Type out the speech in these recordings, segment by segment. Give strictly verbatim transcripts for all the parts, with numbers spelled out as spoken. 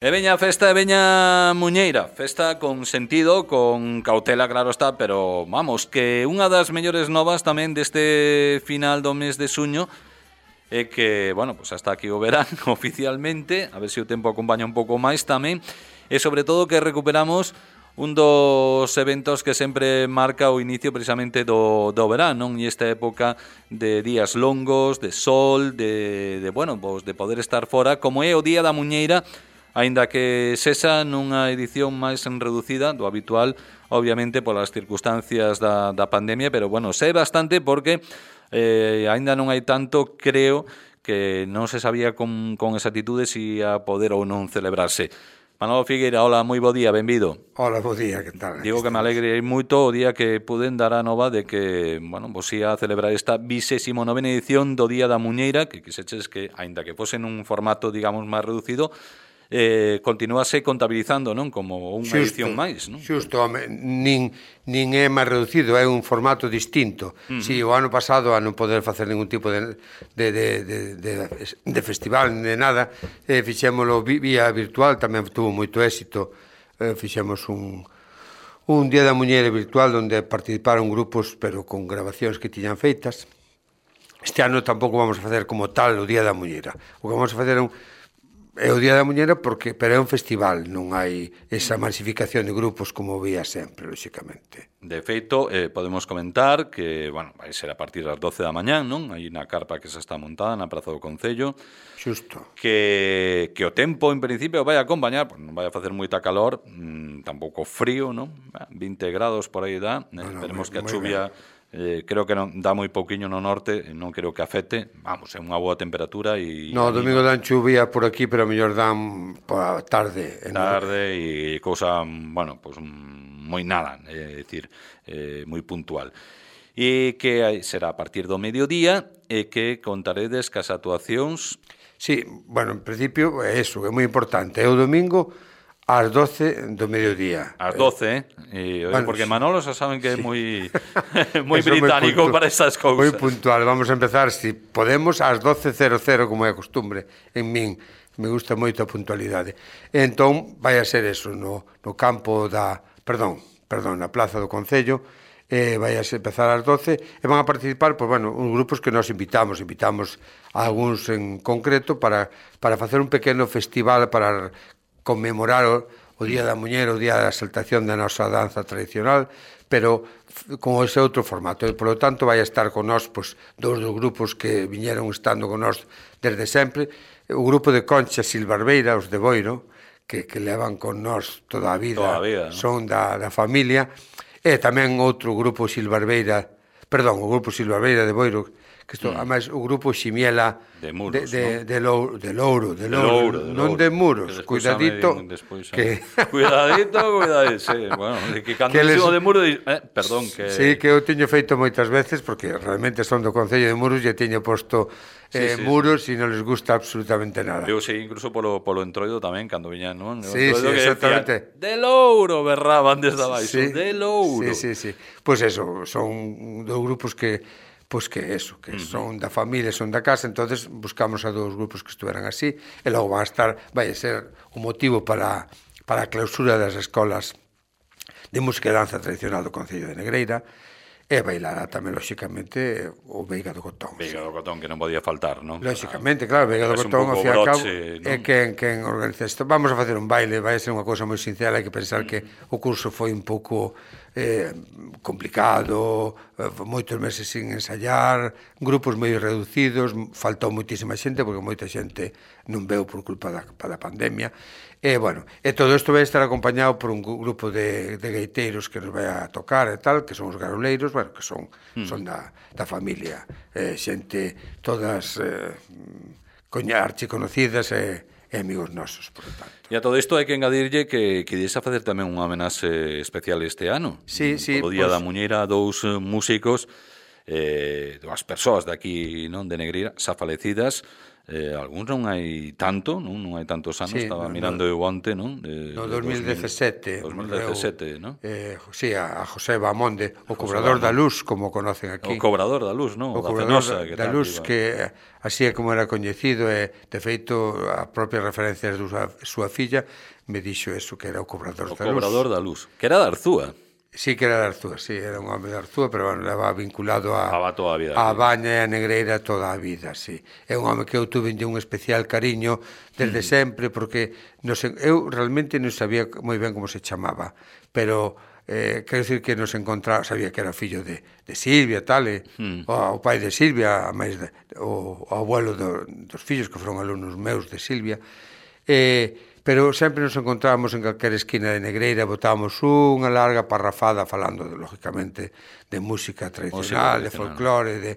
E veña a festa, e veña Muñeira. Festa con sentido, con cautela, claro está, pero vamos, que unha das mellores novas tamén deste final do mes de suño é que, bueno, pues hasta aquí o verán oficialmente, a ver se o tempo acompaña un pouco máis tamén, e sobre todo que recuperamos un dos eventos que sempre marca o inicio precisamente do, do verán, non? E esta época de días longos, de sol, de, de bueno, pues de poder estar fora, como é o Día da Muñeira, aínda que sexa nunha edición máis reducida do habitual, obviamente polas circunstancias da, da pandemia, pero bueno, sei bastante porque eh, aínda non hai tanto, creo que non se sabía con, con exactitude se ia poder ou non celebrarse. Manolo Figueira, hola, moi bo día, benvido. Hola, bo día, que tal? Digo que me alegre moito o día que puden dar a nova de que, bueno, vos ia a celebrar esta vigésima novena edición do Día da Muñeira, que quixeches que, aínda que fose nun formato, digamos, máis reducido, eh, continuase contabilizando, non? Como unha xusto, edición máis, non? Xusto, home, nin, nin é máis reducido, é un formato distinto. Uh-huh. Si o ano pasado, a non poder facer ningún tipo de, de, de, de, de, de festival, de nada, eh, fixémolo vía virtual, tamén tuvo moito éxito, eh, fixemos un, un Día da Muñeira virtual onde participaron grupos, pero con grabacións que tiñan feitas. Este ano tampouco vamos a facer como tal o Día da Muñeira. O que vamos a facer é un É o Día da Muñeira porque pero é un festival, non hai esa masificación de grupos como vía sempre, lóxicamente. De feito, eh, podemos comentar que, bueno, vai ser a partir das doce da mañán, non? Hai na carpa que se está montada na Praza do Concello. Xusto. Que, que o tempo, en principio, vai a acompañar, pues non vai a facer moita calor, mmm, tampouco frío, non? vinte grados por aí dá, eh, bueno, esperemos moi, que a chuvia... Eh, creo que non dá moi pouquiño no norte, non creo que afecte, vamos, é unha boa temperatura e... No, domingo dan chuvia por aquí, pero a mellor dan por tarde. Tarde e cousa, bueno, pues moi nada, é dicir, eh, moi puntual. E que será a partir do mediodía e que contaredes cas actuacións... Sí, bueno, en principio é eso, é moi importante, é o domingo... ás doce do mediodía. Ás doce, eh? E, bueno, porque Manolo xa saben que sí. é moi moi británico moi para estas cousas. Moi puntual, vamos a empezar, si podemos, ás doce cero cero, como é a costumbre. En min, me gusta moito a puntualidade. E entón, vai a ser eso, no, no campo da... Perdón, perdón, na Plaza do Concello, eh, vai a empezar ás doce, e van a participar, pois, bueno, uns grupos que nos invitamos, invitamos a algúns en concreto para, para facer un pequeno festival para conmemorar o, o Día da Muñeira, o Día da Exaltación da nosa danza tradicional, pero con ese outro formato. E, polo tanto, vai a estar con nós pois, dous dos grupos que viñeron estando con nós desde sempre. O grupo de Concha Silbarbeira, os de Boiro, que, que levan con nós toda a vida, toda a vida, ¿no? Son da, da familia. E tamén outro grupo Silbarbeira, perdón, o grupo Silbarbeira de Boiro, que isto, mm. además, o grupo Ximiela de Muros, de, de, ¿no? de, Louro, de Louro, de de Louro, Louro, de non Louro. de Muros, cuidadito, despois, que... cuidadito, cuidadito, sí, bueno, que cando que les... de Muros, eh, perdón, que... Sí, que eu teño feito moitas veces, porque realmente son do Concello de Muros e teño posto eh, sí, sí, Muros sí. E non les gusta absolutamente nada. Eu sei, incluso polo, polo entroido tamén, cando viñan, non? Sí, sí, exactamente. Decían, de Louro, berraban desde abaixo, sí, de Louro. Sí, sí, sí, pois pues eso, son dos grupos que... Pois que eso, que uh-huh. son da familia, son da casa, entonces buscamos a dous grupos que estuveran así, e logo van a estar, vai a ser un motivo para, para a clausura das escolas de música e danza tradicional do Concello de Negreira, e bailará tamén, lóxicamente, o Veiga do Cotón. Veiga do Cotón, que non podía faltar, non? Lóxicamente, claro, Veiga do Cotón, ao fin e ao cabo, é quen, quen organiza isto. Vamos a facer un baile, vai a ser unha cousa moi sincera, hai que pensar que o curso foi un pouco eh, complicado, eh, moitos meses sin ensayar, grupos moi reducidos, faltou moitísima xente, porque moita xente non veu por culpa da, da pandemia, e, bueno, e todo isto vai estar acompañado por un grupo de, de gaiteiros que nos vai a tocar e tal, que son os garoleiros, bueno, que son, mm. son da, da familia, eh, xente todas eh, archiconocidas e, e amigos nosos, por tanto. E a todo isto hai que engadirlle que querías a facer tamén unha homenaxe especial este ano. Sí, sí. O Día pues... da Muñeira, dous músicos, eh, dúas persoas de aquí, non, de Negreira, xa falecidas, Eh, algúns non hai tanto, non, non hai tantos anos, Sí, estaba no, mirando no, eu onte, non? De, no de dos mil dezasete, dos mil dezasete, non? Eh, sí, a, a José Bamonde, o José cobrador da Bamonde. luz, como conocen O aquí. cobrador da luz, non? O Da cobrador Fenosa, da, que da tal, luz, iba. que así é como era coñecido, e de feito a propia referencia de súa, súa filla me dixo eso, que era o cobrador O da luz. cobrador da luz, que era de Arzúa. Sí que era de Arzúa, sí, era un home de Arzúa, pero bueno, leva vinculado a, Leva toda a vida a aquí. Baña e a Negreira toda a vida, sí. É un home que eu tuve un especial cariño desde mm. sempre, porque non sei, eu realmente non sabía moi ben como se chamaba, pero eh, quero dicir que nos encontraba, sabía que era fillo de, de Silvia, tal, e, mm. o, o pai de Silvia, a máis de, o, o abuelo do, dos fillos que foron alumnos meus de Silvia, e pero sempre nos encontrábamos en calquera esquina de Negreira, botábamos unha larga parrafada falando, de, lógicamente, de música tradicional, música tradicional. De folclore, de...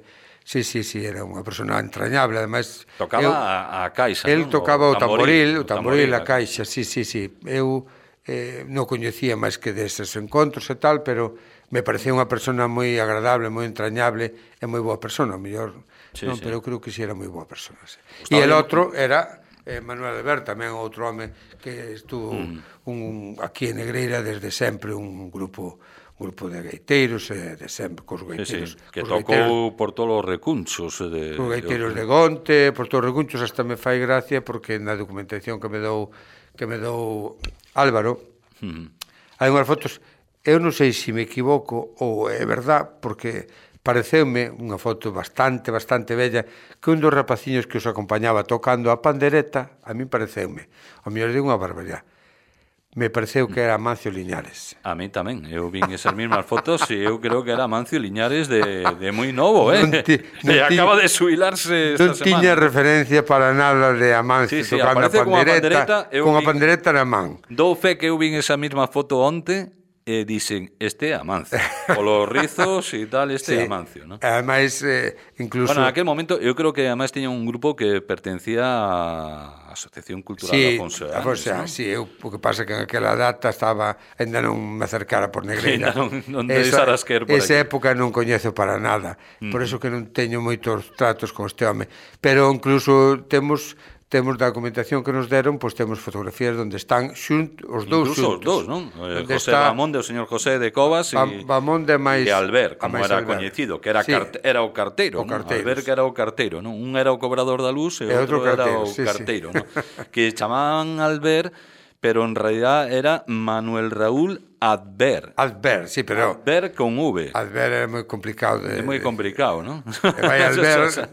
Sí, sí, sí, era unha persona entrañable, ademais... Tocaba eu, a, a caixa, el non? tocaba o tamboril, o tamboril, tamboril a caixa, sí, sí, sí. Eu eh, non coñecía máis que deses encontros e tal, pero me parecía unha persona moi agradable, moi entrañable e moi boa persona, mellor, sí, non, sí. pero eu creo que si sí era moi boa persona. Sí. E el outro era... Eh, Manuel Albert, tamén outro home que estuvo mm. un, aquí en Negreira desde sempre, un grupo un grupo de gaiteiros, eh, de sempre, cos gaiteiros. Sí, sí, que cos tocou gaiteiros, por todos os recunchos. De, cos gaiteiros de, de Gonte, por todos os recunchos, hasta me fai gracia, porque na documentación que me dou que me dou Álvaro, mm. hai unhas fotos, eu non sei se me equivoco ou é verdad, porque... pareceume unha foto bastante, bastante bella, que un dos rapaciños que os acompañaba tocando a pandereta, a mí pareceume, o mellor de unha barbaridade, me pareceu que era Amancio Liñares. A mí tamén, eu vin esas mesmas fotos e eu creo que era Amancio Liñares de, de moi novo, eh? Non ti, non e acaba de subilarse esta non semana. Non tiña referencia para nada de Amancio sí, sí, tocando a pandereta, con a vin, pandereta na man. Dou fe que eu vin esa mesma foto onte, e dicen, este é Amancio. Polos rizos e tal, este é sí. Amancio, ¿no? Ademais, eh, incluso... Bueno, en aquel momento, eu creo que ademais tiña un grupo que pertencía á Asociación Cultural sí, Afonso de Afonso, ¿no? Sí, eu, o que pasa que en aquela data estaba, ainda non me acercara por Negreira. Sí, non, non deixaras que ir por esa aquí. época non coñezo para nada, mm. por eso que non teño moitos tratos con este home. Pero incluso temos... temos da documentación que nos deron, pois temos fotografías onde están xunt, os dous Incluso xuntos. os dous, non? José está Bamonde, o señor José de Covas e, Bamonde máis, e Albert, como era Albert. coñecido, que era, sí. carte, era o carteiro, o non? carteiro, Albert que era o carteiro, non? Un era o cobrador da luz e, e outro, outro carteiro, era o sí, carteiro, sí. non? Que chamaban Albert, pero en realidad era Manuel Raúl Adver. Adver, sí, pero... Adver con V. Adver é moi complicado. De, é moi complicado, non? E vai Albert...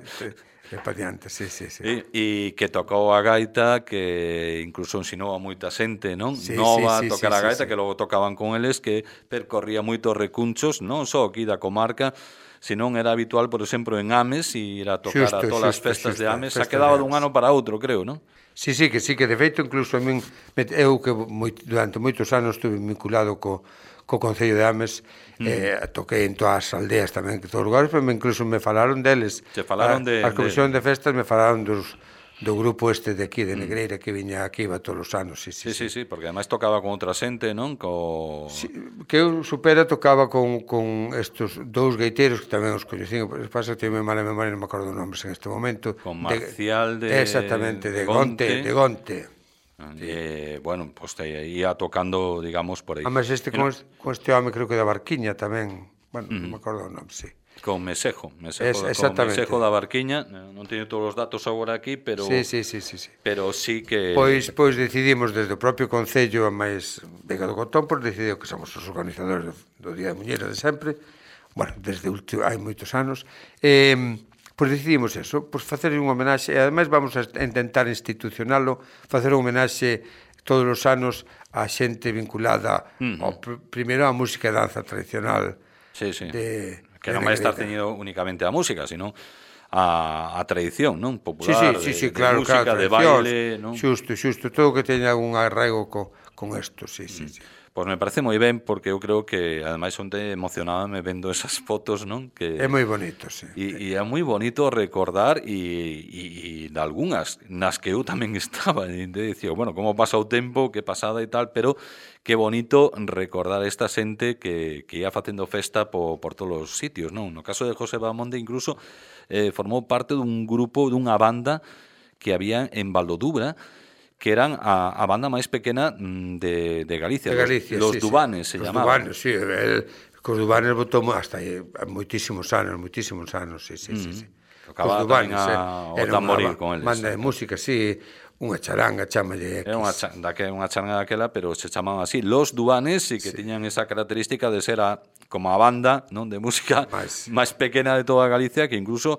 E pa diante, sí, sí, sí. E, e que tocou a gaita, que incluso ensinou a moita xente, non? Sí, Nova sí, sí, tocar sí, a gaita, sí, sí. que logo tocaban con eles, que percorría moitos recunchos, non só aquí da comarca, senón era habitual, por exemplo, en Ames, e ir a tocar xusto, a todas xusto, as festas xusto, de Ames, festas a quedaba de dun ano para outro, creo, non? Sí, sí, que sí, que de feito, incluso a min, eu que moi, durante moitos anos estuve vinculado co co Concello de Ames, mm. eh, toquei en todas as aldeas tamén, en todos os lugares, pero incluso me falaron deles. Se falaron de... As comisións de... de festas me falaron dos, do grupo este de aquí, de Negreira, que viña aquí, iba todos os anos. Sí, sí, sí, sí, sí, sí, porque ademais tocaba con outra xente, non? Co... Sí, que eu supera tocaba con, con estos dous gaiteiros, que tamén os coñecín, pasa que teño mala memoria, non me acordo nombres en este momento. Con Marcial de... de exactamente, de, de Gonte. De Gonte. Sí. Eh, bueno, pues te ia tocando, digamos, por aí. Además, este con, este, con este home creo que da Barquiña tamén, bueno, uh -huh. non me acordo o nome, sí. Con Mesejo, Mesejo, es, con Mesejo da Barquiña, non teño todos os datos agora aquí, pero sí, sí, sí, sí, sí. pero sí que Pois pois decidimos desde o propio Concello a máis Vega do Cotón, pois decidiu que somos os organizadores do Día de Muñeira de sempre. Bueno, desde último, hai moitos anos. Eh, pois decidimos eso, pois facer un homenaxe, e ademais vamos a intentar institucionalo, facer un homenaxe todos os anos a xente vinculada uh -huh. ao, primeiro á música e danza tradicional. Sí, sí. De, que non vai estar ceñido únicamente a música, sino a, a tradición, non? Popular, sí, sí, sí, sí, de, claro, de música, claro, de baile, non? Xusto, xusto, todo que teña un arraigo co, con isto, sí, sí, sí. Pois me parece moi ben, porque eu creo que, ademais, onte emocionábame vendo esas fotos, non? Que é moi bonito, sí. E, e é moi bonito recordar e, e, e de algunhas nas que eu tamén estaba, e dicía, bueno, como pasa o tempo, que pasada e tal, pero que bonito recordar esta xente que, que ia facendo festa por, por todos os sitios, non? No caso de José Bamonde, incluso, eh, formou parte dun grupo, dunha banda, que había en Valdodubra, que eran a, a banda máis pequena de, de Galicia. De Galicia, los, sí, los Dubanes sí. se Los llamaban. Dubanes, sí, el, cos Dubanes botou hasta aí moitísimos anos, moitísimos anos, sí, sí, mm. sí, sí. Tocaba tamén a, o tamboril con eles. Banda de música, sí, unha charanga, chamalle X. Era unha, daque, unha charanga daquela, pero se chamaban así, Los Dubanes, e que sí. tiñan esa característica de ser a, como a banda, non, de música máis más pequena de toda Galicia, que incluso,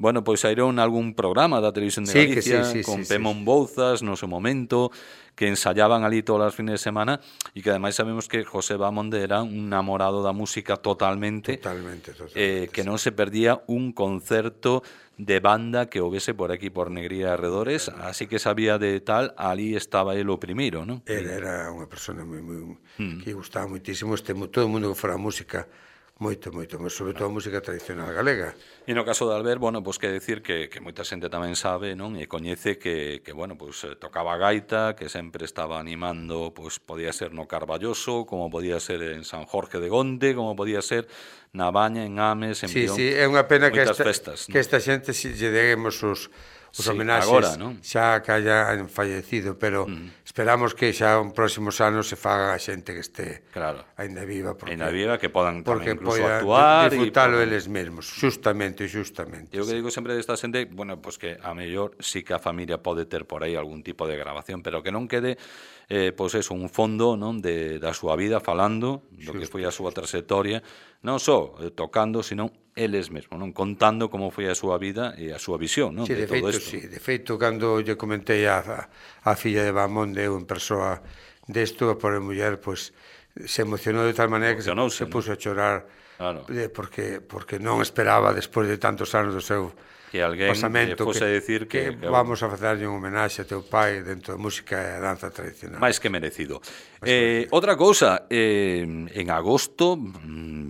bueno, pois saíron algún programa da televisión de sí, Galicia, sí, sí, con sí, Pemón sí. Bouzas, no seu momento, que ensayaban ali todos os fines de semana, e que ademais sabemos que José Bamonde era un namorado da música totalmente, totalmente, totalmente eh, que sí. non se perdía un concerto de banda que houvese por aquí, por Negría e arredores, así que sabía de tal, ali estaba ele o primeiro, non? Ele era unha persona moi, moi, mm. que gustaba moitísimo, este, todo o mundo que fora música, moito, moito, mas sobre todo a música tradicional galega. E no caso de Albert, bueno, pois que decir que, que moita xente tamén sabe, non? E coñece que, que bueno, pois tocaba gaita, que sempre estaba animando, pois podía ser no Carballoso, como podía ser en San Jorge de Gonde, como podía ser na Baña, en Ames, en sí, Pión. Sí, é unha pena que esta, festas, que esta xente si lle deguemos os os sí, homenaxes agora, non? xa que hayan fallecido, pero mm. esperamos que xa en próximos anos se faga a xente que este claro. ainda viva, porque, ainda viva, que podan porque incluso poida actuar disfrutalo podan... eles mesmos, justamente, justamente. Eu que digo sempre desta xente, bueno, pois pues que a mellor sí que a familia pode ter por aí algún tipo de grabación, pero que non quede eh, pois pues eso, un fondo, non, de da súa vida falando do que foi a súa trayectoria, non só eh, tocando, sino eles mesmos, non, contando como foi a súa vida e a súa visión, non, sí, de, de todo feito, isto. Sí, de feito, cando lle comentei a, a, a filla de Bamonde, eu en persoa desto, a pobre muller, pois, se emocionou de tal maneira que se, se puso a chorar, claro. de, porque, porque non esperaba, despois de tantos anos do seu que alguén pasamento, fose que, decir que, que, que vamos a facerlle un homenaxe a teu pai dentro da música e a danza tradicional. máis que merecido. Eh, outra cousa, eh, en agosto,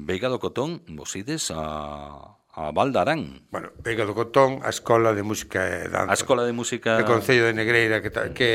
Veiga do Cotón, vos ides a... a Valdarán. Bueno, Veiga do Cotón, a Escola de Música e Danza. A Escola de Música... do Concello de Negreira, que, que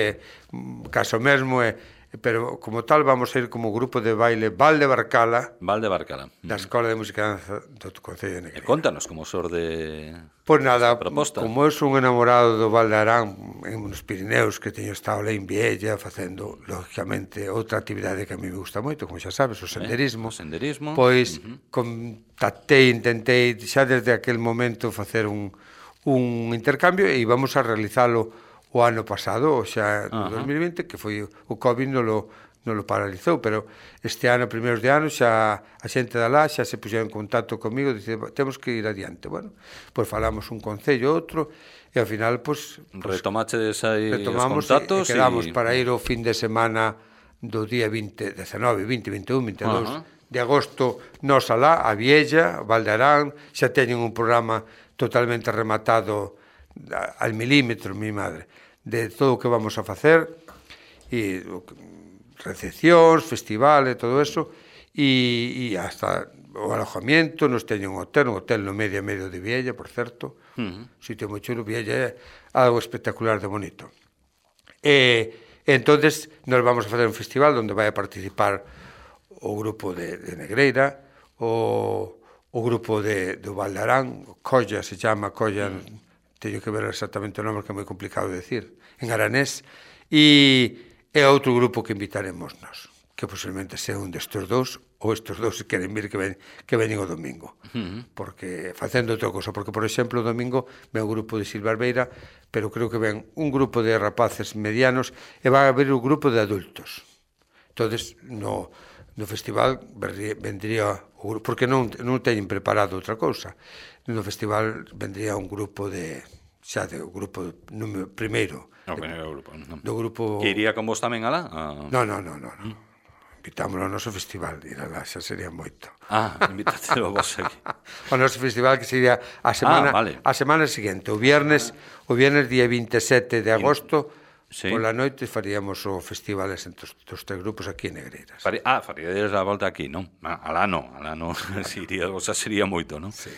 caso mesmo é, pero como tal vamos a ir como grupo de baile Valde Barcala, Valde Barcala. Da Escola de Música e Danza do Concello de Negreira. E contanos como sorde... Pois nada, proposta. Como eu son enamorado do Valdarán en nos Pirineos, que teño estado lá en Viella facendo, lógicamente, outra actividade que a mí me gusta moito, como xa sabes, o senderismo. Eh, o senderismo. Pois uh-huh. contactei, intentei xa desde aquel momento facer un, un intercambio e íbamos a realizalo o ano pasado, o xa no uh-huh. dos mil vinte, que foi o COVID non lo, non lo paralizou, pero este ano, primeiros de ano, xa a xente da lá xa se puxeron en contacto comigo, dice, temos que ir adiante. Bueno, pois falamos un concello, outro, e ao final, pois... Retomachedes aí retomamos os contactos e, e quedamos y... para ir o fin de semana do día vinte, dezenove, vinte, vinte e un, vinte e dous uh-huh. de agosto, nos alá, a Viella, Valdarán, xa teñen un programa totalmente rematado al milímetro, mi madre, de todo o que vamos a facer, e recepcións, festivales, todo eso, e, e hasta o alojamiento, nos teñen un hotel, un hotel no medio a medio de Viella, por certo, uh-huh. sitio moi chulo, Viella é algo espectacular de bonito. E, e entonces nos vamos a facer un festival onde vai a participar o grupo de, de Negreira, o, o grupo de, do Valdarán, o Colla, se chama Colla, uh-huh. teño que ver exactamente o nome que é moi complicado de decir, en aranés, e é outro grupo que invitaremos nós, que posiblemente sea un destes dous, ou estes dous se queren vir que, ven, que veñen o domingo, uh-huh. porque facendo outra cosa, porque, por exemplo, o domingo ven o grupo de Silvarbeira, pero creo que ven un grupo de rapaces medianos e vai haber un grupo de adultos. Entonces, no, no festival vendría o grupo, porque non, non teñen preparado outra cousa. No festival vendría un grupo de xa de o grupo número primeiro. No, primeiro grupo. No. Do grupo... Que iría con vos tamén alá? A... No, no, no, no. no. Mm. Invitámoslo ao noso festival, ir alá, xa sería moito. Ah, invítátelo vos aquí. O noso festival que sería a semana, ah, vale. a semana seguinte, o viernes, o viernes día vinte e sete de agosto, sí. Pola noite faríamos o festival entre os, os tres grupos aquí en Negreiras. Fari... Ah, faríades a volta aquí, non? Ah, alá non, alá non, si iría, o sea, sería moito, non? Sí.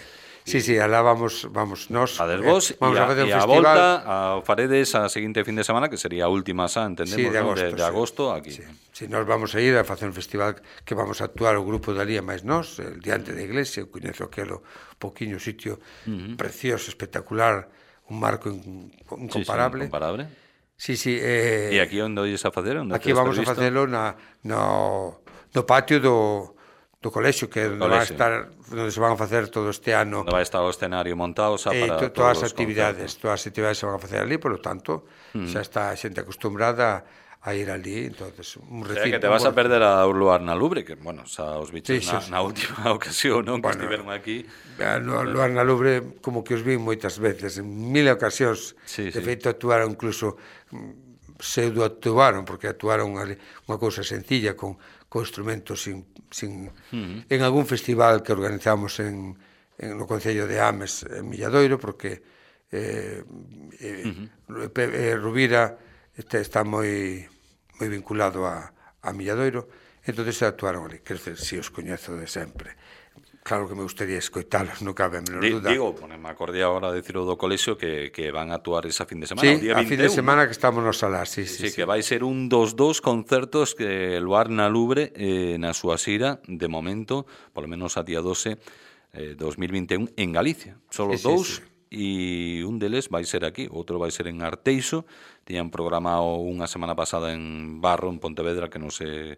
Sí, sí, alá vamos, vamos nós. A vos, eh, vamos e a, a facer un e a festival. volta a faredes a seguinte fin de semana, que sería a última xa, entendemos, sí, de agosto, ¿no? de, de agosto sí. aquí. Sí. Sí, nós vamos a ir a facer un festival que vamos a actuar o grupo de Alía máis nós, el diante da iglesia, eu coñezo aquelo poquinho sitio uh-huh. precioso, espectacular, un marco in, incomparable. Sí, sí, incomparable. Sí, sí. Eh, e aquí onde ois a facer? Onde aquí vamos a facelo na, no, no patio do, do colexio, que onde, vai estar, onde se van a facer todo este ano. Onde vai estar o escenario montado xa eh, para to, todas as actividades, todas as actividades se van a facer ali, por lo tanto, mm. xa está a xente acostumbrada a ir ali, entonces un recinto. O sea, que te vas a perder a Luar na Lubre, que, bueno, xa os bichos sí, na, sí, na última ocasión, non, que bueno, estiveron aquí. No, Luar na Lubre, como que os vi moitas veces, en mil ocasións, sí, de sí. feito actuaron incluso, pseudo actuaron, porque actuaron ali unha cousa sencilla, con, con instrumentos sin, sin uh-huh. en algún festival que organizamos en, en no Concello de Ames, en Milladoiro, porque eh, eh, uh-huh. eh, Rubira este, está moi moi vinculado a, a Milladoiro, entonces actuaron ali, quer dizer, si os coñezo de sempre. Claro que me gustaría escoitalos, non cabe a menor duda. Digo, me acordei agora de decirlo do colexio que, que van a actuar esa fin de semana, sí, o día a fin de veintiún, semana que estamos nos alá, sí, sí, sí, sí. que vai ser un dos dos concertos que Luar na Lubre eh, na súa xira, de momento, polo menos a día doce, eh, dos mil vinte e un, en Galicia. Son os sí, dous, sí, sí. E un deles vai ser aquí, outro vai ser en Arteixo. Tiñan programado unha semana pasada en Barro, en Pontevedra, que non se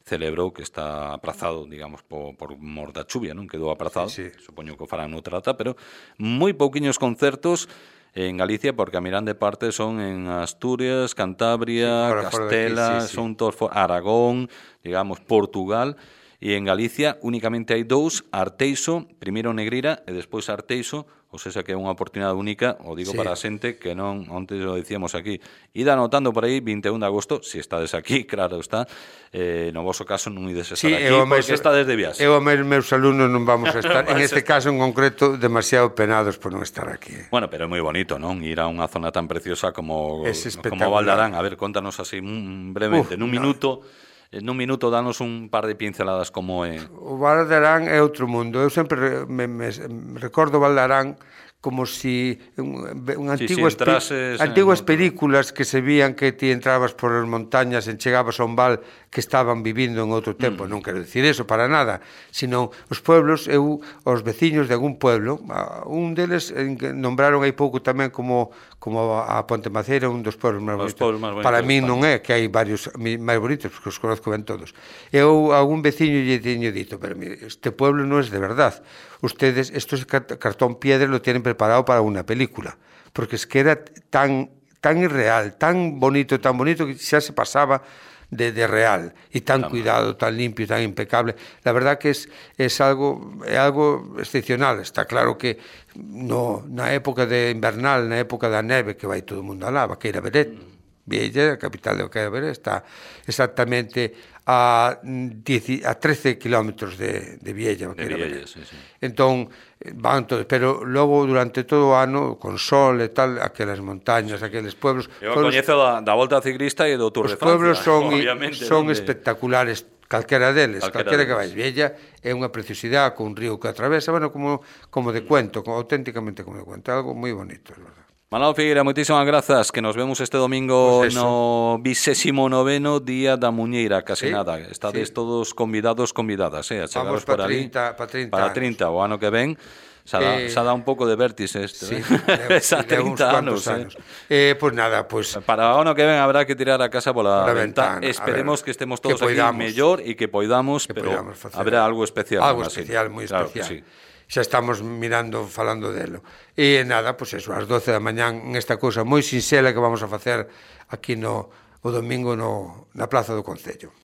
celebrou, que está aprazado, digamos, por, por mor da chuvia, non? Quedou aprazado, sí, sí. Supoño que o farán noutra data, pero moi pouquiños concertos en Galicia, porque a Mirande parte son en Asturias, Cantabria, sí, fora, Castela, fora aquí, sí, sí. Son todos for... Aragón, digamos, Portugal, e en Galicia únicamente hai dous, Arteixo, primeiro Negrira e despois Arteixo, ou seja que é unha oportunidade única, o digo sí. Para a xente que non, onte lo dicíamos aquí, ida anotando por aí vinte e un de agosto, se si estades aquí, claro está, eh, no voso caso non ides estar sí, aquí, porque mes, estades de viaxe. Eu e meus alumnos non vamos a estar, en este caso en concreto, demasiado penados por non estar aquí. Bueno, pero é moi bonito, non? Ir a unha zona tan preciosa como, como Valdarán. A ver, contanos así brevemente, Uf, nun minuto... No. Nun minuto danos un par de pinceladas como é. O Valdarán é outro mundo. Eu sempre me, me, me recordo Valdarán como si un, un antiguas, sí, sí, antiguas películas que se vían que ti entrabas por as montañas e chegabas a un val que estaban vivindo en outro tempo. Mm. Non quero dicir eso para nada, sino os pueblos, eu, os veciños de algún pueblo, un deles nombraron hai pouco tamén como, como a Ponte Maceira, un dos pueblos máis bonitos. Pueblos máis bonitos. Para mí non é, que hai varios máis bonitos, porque os conozco ben todos. Eu a algún veciño lle teño dito, pero mire, este pueblo non é de verdad. Ustedes, estos cartón piedra lo tienen preparado para una película, porque es que era tan, tan irreal, tan bonito, tan bonito, que xa se pasaba de, de real, y tan Tama. Cuidado, tan limpio, tan impecable. La verdad que es, es algo, é algo excepcional. Está claro que no, na época de invernal, na época da neve, que vai todo o mundo alá, Vaqueira Beret, mm. Viella, a capital de Vaqueira Beret, está exactamente a, a trece kilómetros de, de Viella, Vaqueira Beret. Sí, sí. Entón, van todos, pero logo durante todo o ano, con sol e tal, aquelas montañas, aqueles pueblos... Eu coñezo da, da Volta Ciclista e do Tour de Francia. Os pueblos son, son donde... espectaculares, calquera deles, calquera, calquera que vais. Viella é unha preciosidade con un río que atravesa, bueno, como, como de cuento, como, auténticamente como de cuento, algo moi bonito, é verdad. Manolo Figueira, moitísimas grazas, que nos vemos este domingo pues no vigésimo noveno Día da Muñeira, case sí, nada. Estades sí. Todos convidados, convidadas, eh, a chegaros por ali. Para trinta, para trinta, o ano que ven. Xa dá, eh, xa dá un pouco de vértice este, sí, eh? Xa trinta anos, anos. Eh? Eh, pues nada, pues... Para o ano que ven habrá que tirar a casa pola ventana. ventana. Esperemos ver, que estemos todos que aquí mellor e que poidamos, que pero habrá algo especial. Algo especial, moi especial. Claro que sí. Xa estamos mirando, falando delo. E nada, pois pues eso, ás doce da mañán, nesta cousa moi sinxela que vamos a facer aquí no o domingo no, na Plaza do Concello.